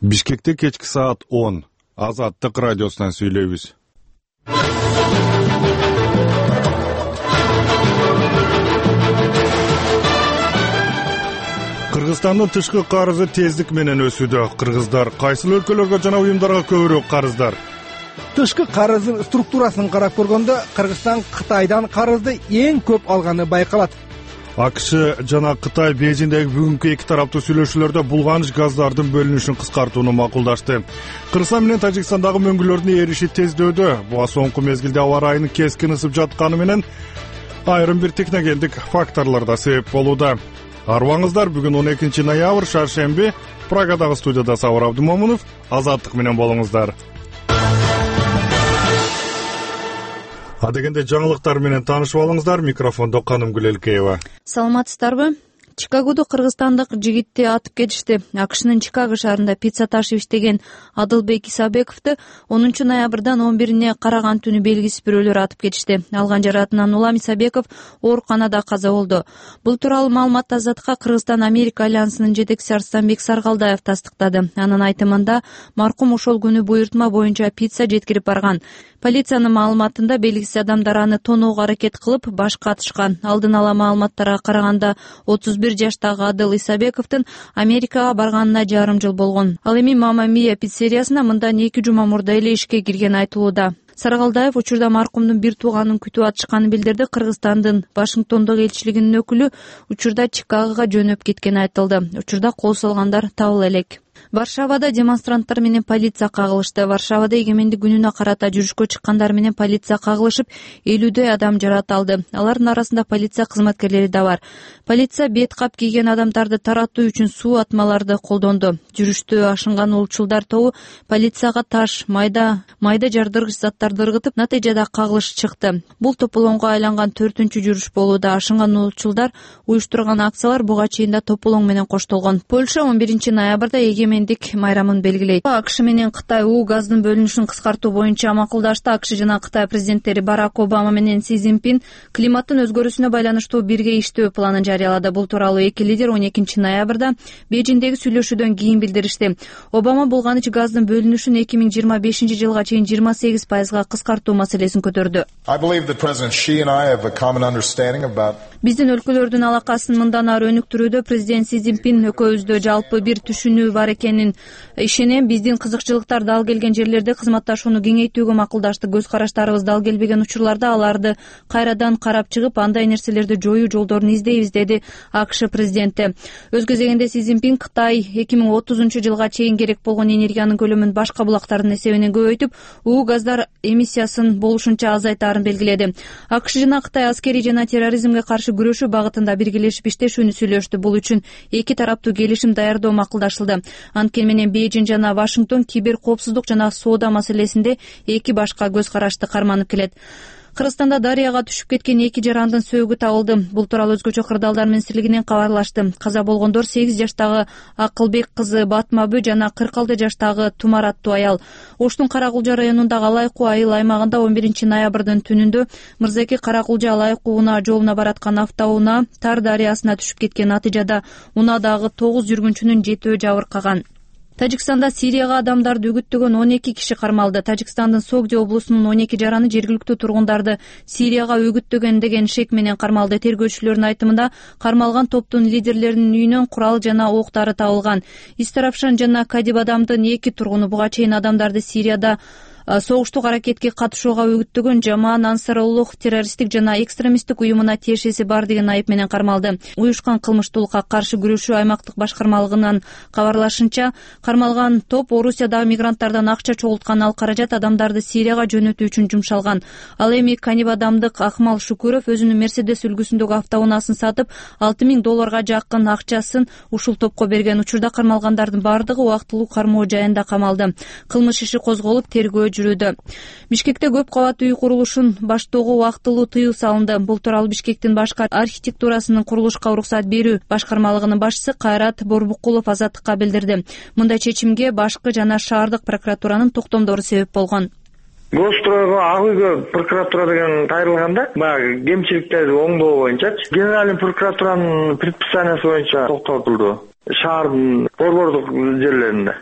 Бишкекте кечки саат 10. Азаттык радиосунан сүйлөйбүз. Кыргызстандын тышкы карызы тездик менен өсүүдө. Кыргыздар кайсыл өлкөлөргө жана уюмдарга көбүрөөк карыздар? Тышкы карыздын структурасын карап көргөндө Кыргызстан Кытайдан карызды эң көп алганы байкалат. АКШ жана Кытай Бейжиңдеги бүгүнкү эки тараптуу сүйлөшүүлөрдө булганыч газдардын бөлүнүшүн кыскартууну макулдашты. Кыргызстан менен Тажикстандагы мөңгүлөрдүн эриши тездөөдө. Буга соңку мезгилде аба ырайынын кескин ысып жатканы менен айрым бир техногендик факторлор да себеп болууда. Арыбаңыздар, бүгүн 12 ноябрь шаршемби. Прагадагы студияда Сабыр Абдымомунов. Азаттык менен болуңуздар. Адегенде жаңылыктар менен таанышып алыңыздар. Микрофондо Канымгүл Элкеева. Саламатсыздарбы? Чикагодо кыргызстандык жигитти атып кетишти. АКШнын Чикаго шаарында пицца ташып иштеген Адылбек Исабековду 10 ноябрдан 11-ине караган түнү белгисиз бирөөлөр атып кетишти. Алган жаракатынан улам Исабеков ооруканада каза болду. Бул тууралуу маалыматты Азаттыкка Кыргызстан-Америка альянсынын жетекчиси Арстанбек Саргалдаев тастыктады. Анын айтымында, маркум ошол күнү буйртма боюнча пицца жеткирип барган. Полициянын маалыматында белгисиз адамдар аны тоноого аракет кылып башка атышкан. Алдын ала маалыматтарга караганда 31 жаштагы Адыл Исабековдун Америкага барганына жарым жыл болгон. Ал эми Мама Мия пиццериясына мындан 2 жума мурда эле ишке киргени айтылууда. Саргалдаев учурда маркумдун бир тууганын күтүп атышканын билдирди. Кыргызстандын Вашингтондогу элчилигинин өкүлү учурда Чикагого жөнөп кеткени айтылды. Учурда кол салгандар табыла элек. Варшавада демонстранттар менен полиция кагылышты. Варшавада эгемендик күнүнө карата жүрүшкө чыккандар менен полиция кагылышып, 50дөй адам жаракат алды. Алардын арасында полиция кызматкерлери да бар. Полиция бет кап кийген адамдарды таратуу үчүн суу атмаларды колдонду. Жүрүштө ашынган улчулдар тобу полицияга таш, майда жардыргыч заттарды ыргытып, натыйжада кагылыш чыкты. Бул тополоңго айланган 4-үнчү жүрүш болууда. Ашынган улчулдар уюштурган акциялар буга чейин да тополоң менен коштолгон. Польша 11 ноябрда эгемендик майрамын белгилейт. АКШ менен Кытай газдын бөлүнүшүн кыскартуу боюнча макулдашты. АКШ жана Кытай президенттери Барак Обама менен Си Цзиньпин климаттын өзгөрүүсүнө байланыштуу бирге иштөө планын жарыялады. Бул тууралуу эки лидер 12 ноябрда Бейжиңдеги сүйлөшүүдөн кийин билдиришти. Обама булганыч газдын бөлүнүшүн 2025 жылга чейин 28% кыскартуу маселесин көтөрдү. Биздин өлкөлөрдүн алакасын мындан ары өнүктүрүүдө президент Си Цзиньпин экөөбүздө жалпы бир түшүнүү бар экенин ишенем. Биздин кызыкчылыктар дал келген жерлерде кызматташууну кеңейтүүгө макулдаштык. Көз караштарыбыз дал келбеген учурларда аларды кайрадан карап чыгып, андай нерселерди жоюу жолдорун издейбиз, деди АКШ президенти. Өз кезегинде Си Цзиньпин Кытай 2030 жылга чейин керек болгон энергиянын көлөмүн башка булактардын эсебинен көбөйтүп, газдар эмиссиясын болушунча азайтаарын белгиледи. АКШ жана Кытай аскерий жана терроризмге каршы күрөшүү багытында биргелешип иштешүүнү сүйлөштү. Бул үчүн эки тараптуу келишим даярдоо макулдашылды. Анткени менен Бейжиң жана Вашингтон кибер коопсуздук жана соода маселесинде эки башка көз карашты карманып келет. Кыргызстанда дарыяга түшүп кеткен эки жарандын сөөгү табылды. Бул тууралуу өзгөчө кырдаалдар министрлигинен кабарлашты. Каза болгондор 8 жаштагы Акылбек кызы Батмабү жана 46 жаштагы Тумар аттуу аял. Оштун Каракулжа районундагы Алайкуу айыл аймагында 11 ноябрдын түнүндө Мырзаки Каракулжа Алайкуу унаа жолуна бараткан автоунаа Тар дарыясына түшүп кеткен. Натыйжада унаадагы 9 жүргүнчүнүн 7-өө жабыркаган. Тажикстанда Сирияга адамдарды үгүттөгөн 12 киши кармалды. Тажикстандын Согди облусунун 12 жараны жергиликтүү тургундарды Сирияга үгүттөгөн деген шек менен кармалды. Тергөөчүлөрдүн айтымында, кармалган топтун лидерлеринин үйүнөн курал жана ок дары табылган. Истарапшан жана Кадибадамдын 2 тургуну буга чейин адамдарды Сирияда согуштук аракетке катышууга үгүттөгөн Жамаан Ансаруллух террористтик жана экстремисттик уюмуна тиешеси бар деген айып менен кармалды. Уюшкан кылмыштуулукка каршы күрөшүү аймактык башкармалыгынын кабарлашынча, кармалган топ Орусиядагы мигранттардан акча чогулткан. Ал каражат адамдарды Сирияга жөнөтүү үчүн жумшалган. Ал эми Канибадамдык Акмал Шукуров өзүнүн Мерседес үлгүсүндөгү автоунаасын сатып, $6,000 жакын акчасын ушул топко берген. Учурда кармалгандардын бардыгы убактылуу кармоо жайында камалды. Кылмыш иши козголуп, тергөө жүрүүдө. Бишкекте көп кабаттуу үй курулушун баштоого убактылуу тыюу салынды. Бул тууралуу Бишкектин башкы архитектурасынын курулушка уруксат берүү башкармалыгынын башчысы Кайрат Борбукулов Азаттыкка билдирди. Мындай чечимге башкы жана шаардык прокуратуранын токтомдору себеп болгон. Гостройго ак үйгө прокуратура деген кайрылганда, баягы кемчиликтерди оңдоо боюнчачы Генеральный прокуратуранын предписаниясы боюнча токтотулду. Шаардын борбордук жерлеринде.